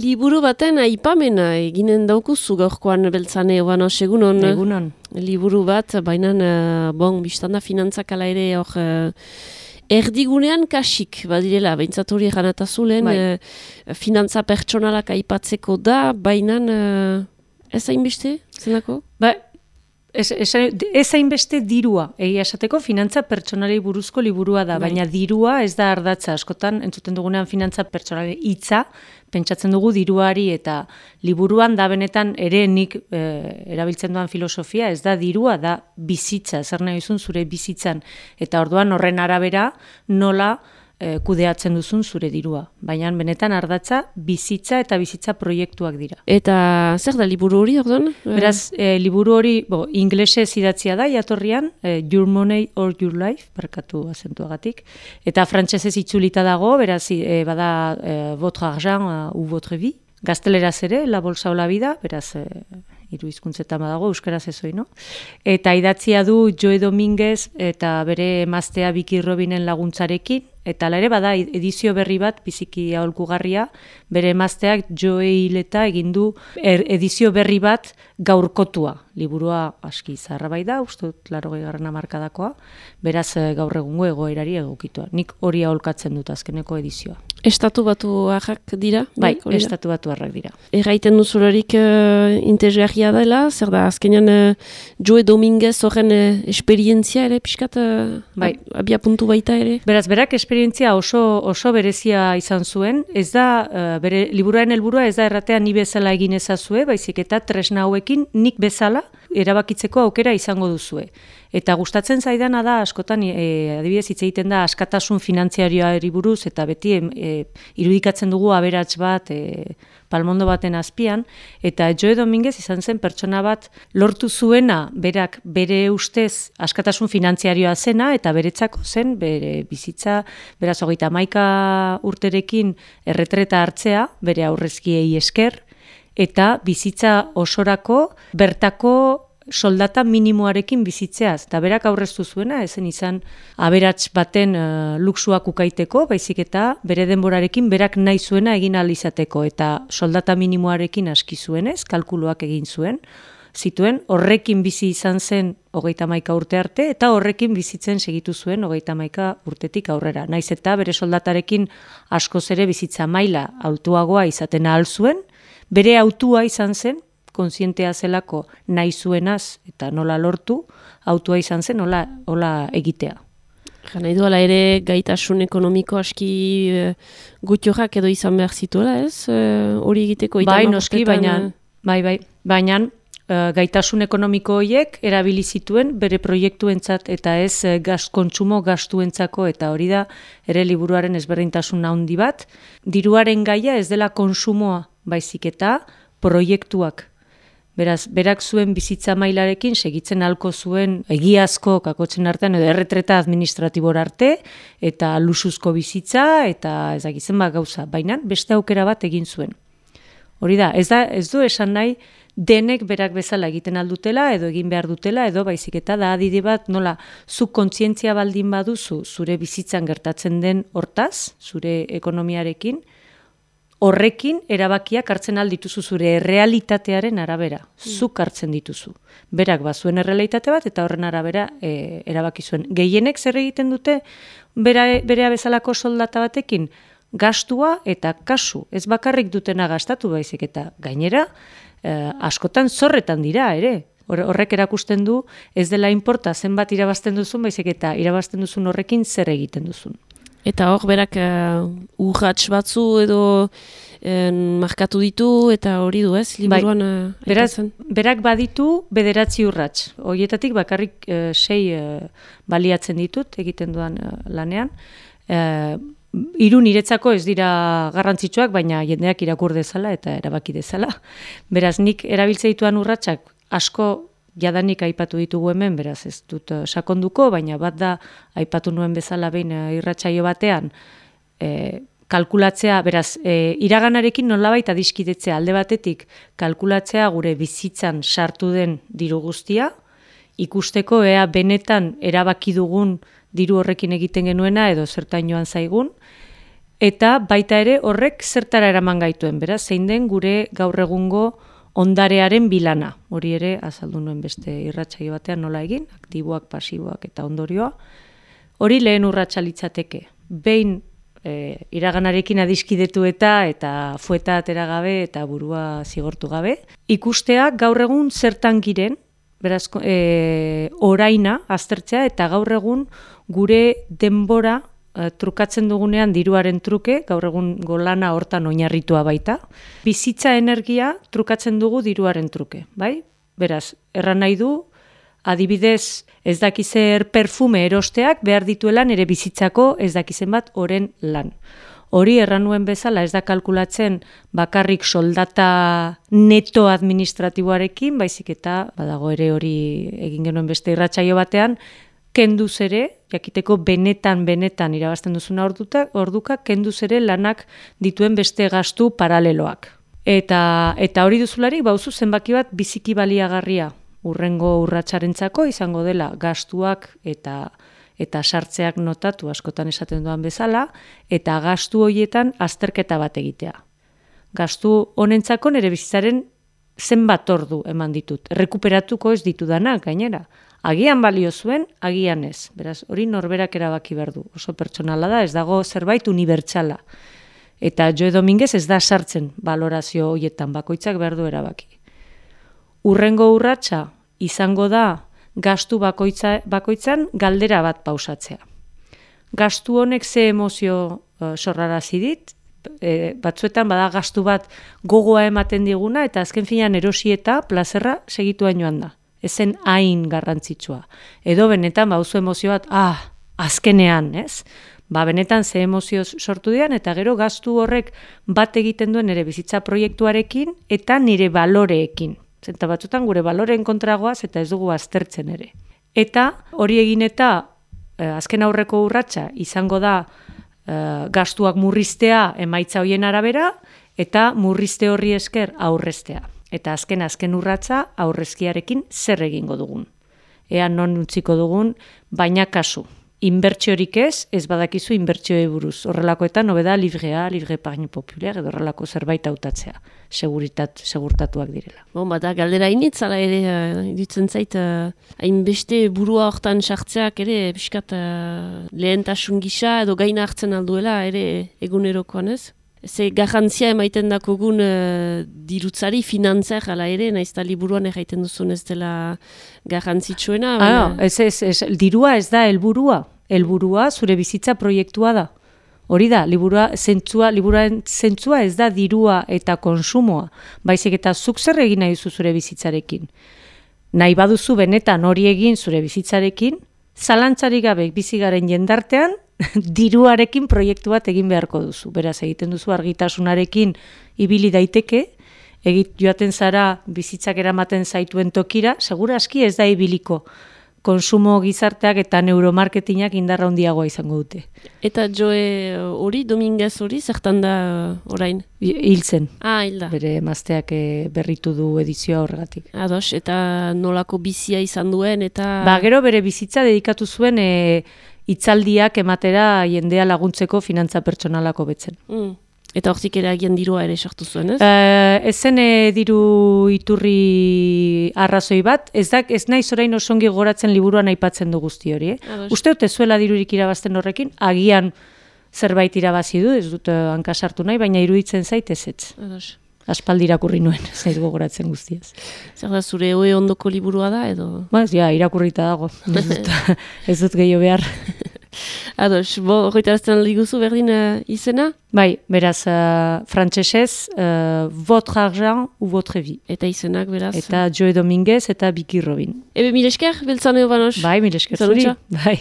Liburu baten aipamena eginen daukuzu gaurkoan beltzane, oano, segunon. Egunon. Liburu bat, baina, biztanda finantzak ala ere hor erdigunean kasik, badirela, behintzat hori eganatazulen, finantza pertsonalak aipatzeko da, baina ez hainbeste, zenako? Ez hainbeste dirua, egia esateko finantza pertsonalei buruzko liburua da, baina dirua ez da ardatza, askotan entzuten dugunean finantza pertsonalei hitza, pentsatzen dugu diruari eta liburuan da benetan ere nik erabiltzen duan filosofia, ez da dirua, da bizitza, zer nahi duzun zure bizitzan, eta orduan horren arabera nola kudeatzen duzun zure dirua. Baina benetan ardatza bizitza eta bizitza proiektuak dira. Eta zer da liburu hori, orduan? Beraz, liburu hori inglesez idatzia da, jatorrian, Your Money or Your Life, barkatu azentuagatik, eta frantsesez itzulita dago, beraz, bada Votre Argent ou Votre Vie, gazteleraz ere, La Bolsa o la Vida, beraz, hiru hizkuntzetan badago, euskaraz ez no? Eta idatzia du Joe Dominguez eta bere emaztea Vicky Robinen laguntzarekin, eta hala ere bada edizio berri bat, biziki aholkugarria, bere emazteak Joe Hileta egin du edizio berri bat gaurkotua. Liburua aski zaharra bai da, uste 80. hamarkadakoa, beraz gaur egungo egoerari egokitua. Nik hori aholkatzen dut azkeneko edizioa. Estatu batuarrak dira? Bai, estatu batuarrak dira. Erraiten duzularik interesgarria dela, zer da, azkenean Joe Dominguez horren esperientzia ere, pixkat, abia puntu baita ere? Beraz, berak esperientzia oso berezia izan zuen, ez da, bere liburuaren helburua ez da erratea ni bezala egin ezazue, baizik eta tresna hauekin nik bezala erabakitzeko aukera izango duzue. Eta gustatzen zaidana da, askotan, adibidez hitz egiten da, askatasun finantziarioari buruz, eta beti irudikatzen dugu aberats bat, palmondo baten azpian, eta Joe Dominguez izan zen pertsona bat lortu zuena, berak bere ustez askatasun finantziarioa zena, eta beretzako zen, bere bizitza, beraz 31 urterekin erretreta hartzea, bere aurrezkiei esker, eta bizitza osorako bertako soldata minimoarekin bizitzeaz. Eta berak aurreztu zuena, ezen izan aberats baten luxuak ukaiteko, baizik eta bere denborarekin berak nahi zuena egin ahal izateko. Eta soldata minimoarekin aski zuenez, kalkuluak egin zituen, horrekin bizi izan zen 31 urte arte, eta horrekin bizitzen segitu zuen 31 urtetik aurrera. Naiz eta bere soldatarekin askoz ere bizitza maila altuagoa izaten ahal zuen, bere autua izan zen, kontzientea zelako nahi zuenaz eta nola lortu, autua izan zen nola egitea. Nahi duela ere gaitasun ekonomiko aski gutiorak edo izan behar zituela, ez? Hori egiteko bai, noski, baina gaitasun ekonomiko horiek erabili zituen bere proiektuentzat eta ez kontsumo gastuentzako, eta hori da ere liburuaren ezberdintasun handi bat. Diruaren gaia ez dela konsumoa, baizik eta proiektuak. Beraz, berak zuen bizitza mailarekin segitzen halko zuen egiazko kakotzen artean edo erretreta administratibora arte eta luxuzko bizitza eta ez dakizen gauza, baina beste aukera bat egin zuen. Hori da, ez du esan nahi denek berak bezala egiten aldutela edo egin behar dutela edo baizik eta da adide bat nola zuk kontzientzia baldin baduzu zure bizitzan gertatzen den hortaz, zure ekonomiarekin, horrekin erabakiak hartzen aldituzu zure errealitatearen arabera. Zuk hartzen dituzu. Berak bazuen errealitate bat eta horren arabera erabaki zuen. Gehienek zer egiten dute berea bezalako soldata batekin? Gastua eta kasu. Ez bakarrik dutena gastatu baizik eta gainera askotan zorretan dira ere. Horrek erakusten du ez dela inporta zenbat irabazten duzun baizik eta irabazten duzun horrekin zer egiten duzun. Eta hor, berak urrats batzu edo markatu ditu, eta hori du ez, liburuan aipatzen? Berak baditu 9 urrats. Horietatik bakarrik 6 baliatzen ditut egiten duan lanean. 3 niretzako ez dira garrantzitsuak, baina jendeak irakur dezala eta erabaki dezala. Beraz, nik erabiltze dituan urratsak asko jadanik aipatu ditugu hemen, beraz ez dut sakonduko, baina bat da aipatu nuen bezala behin irratsaio batean, kalkulatzea, beraz, iraganarekin nolabait adiskidetzea alde batetik, kalkulatzea gure bizitzan sartu den diru guztia, ikusteko ea benetan erabaki dugun diru horrekin egiten genuena edo zertain joan zaigun, eta baita ere horrek zertara eraman gaituen, beraz, zein den gure gaur egungo ondarearen bilana. Hori ere, azaldu nuen beste irratsaio batean nola egin, aktiboak, pasiboak eta ondorioa. Hori lehen urratsa litzateke. Behin iraganarekin adiskidetu eta fueta atera gabe eta burua zigortu gabe. Ikustea gaur egun zertan giren, beraz, oraina aztertzea eta gaur egun gure denbora trukatzen dugunean diruaren truke, gaur egun golana hortan oinarritua baita. Bizitza energia trukatzen dugu diruaren truke, bai? Beraz, erran nahi du, adibidez, ez dakizer perfume erosteak behar dituela nire bizitzako ez dakizen bat oren lan. Hori erran nuen bezala ez da kalkulatzen bakarrik soldata neto administratiboarekin, baizik eta badago ere hori egin genuen beste irratsaio batean, kenduz ere, jakiteko benetan irabazten duzuna orduka, kenduz ere lanak dituen beste gastu paraleloak. Eta hori duzularik, bauzu zenbaki bat biziki baliagarria urrengo urratsarentzako izango dela gastuak eta sartzeak notatu askotan esaten duan bezala, eta gastu horietan azterketa bat egitea. Gastu honentzako nire bizitzaren zenbat ordu eman ditut. Rekuperatuko ez ditudanak gainera. Agian balio zuen, agian ez. Beraz, hori norberak erabaki behar du. Oso pertsonala da, ez dago zerbait unibertsala. Eta Joe Dominguez ez da sartzen balorazio horietan, bakoitzak behar du erabaki. Urrengo urratsa izango da gastu bakoitzan galdera bat pausatzea. Gastu honek ze emozio sorrarazi dit, batzuetan bada gastu bat gogoa ematen diguna eta azken finean erosi eta plazerra segituan joan da. Ezen hain garrantzitsua. Edo benetan bauzu emozio bat, azkenean, ez? Benetan ze emozio sortu dian eta gero gastu horrek bat egiten duen nire bizitza proiektuarekin eta nire baloreekin. Zenta batzutan gure baloreen kontragoaz eta ez dugu aztertzen ere. Eta hori egin eta azken aurreko urratsa izango da gastuak murriztea emaitza hoien arabera eta murrizte horri esker aurreztea. Eta azken urratsa aurrezkiarekin zer egingo dugun. Ea non utziko dugun, baina kasu. Inbertsiorik ez badakizu inbertsioei buruz. Horrelakoetan hobeda livrea, livre épargne populaire, edo horrelako zerbait hautatzea. Segurtatuak direla. Bada, galdera initzala ere, ditzen zait, hainbeste burua hortan sartzeak ere, biskat lehentasun gisa edo gaina hartzen alduela ere egunerokoan ez? Ze garrantzia emaiten dakogun dirutzari, finantzak ala ere, naizta liburuan egiten duzun ez dela garrantzitsuena. Dirua ez da helburua. Helburua zure bizitza proiektua da. Hori da, liburuaren zentzua ez da dirua eta konsumoa. Baizik eta zuk zer egin nahi duzu zure bizitzarekin. Nahi baduzu benetan hori egin zure bizitzarekin, zalantzarik gabe bizigaren jendartean, diruarekin proiektu bat egin beharko duzu. Beraz, egiten duzu argitasunarekin ibili daiteke, joaten zara bizitzak eramaten zaituen tokira, segura aski ez da ibiliko. Konsumo gizarteak eta neuromarketingak indarra handiagoa izango dute. Eta Joe hori, Dominguez hori, zertan da orain? Hiltzen. Hilda. Bere emazteak berritu du edizioa horregatik. Ados, eta nolako bizia izan duen, eta... Gero bere bizitza dedikatu zuen hitzaldiak ematera jendea laguntzeko finantza pertsonalako betzen. Eta hortik ere agian dirua ere sortu zuen, ez? Ezen diru iturri arrazoi bat, ez naiz orain osongi goratzen liburuan aipatzen du guzti hori. Uste dut ez zuela dirurik irabazten horrekin, agian zerbait irabazi du, ez dut hankasartu nahi, baina iruditzen zait ez. Aspaldi irakurri nuen, zait gogoratzen guztiaz. Zer da, zure hoe ondoko liburua da, edo? Irakurrita dago. Ez dut gehiago behar. Ados, horretarazten aldiguzu berdin izena? Bai, beraz, frantsesez, votre argent ou votre vie. Eta izenak, beraz? Eta Joe Dominguez eta Vicky Robin. Ebe, mil esker, beltzan eo banos? Bai, mil esker zuri. Bai.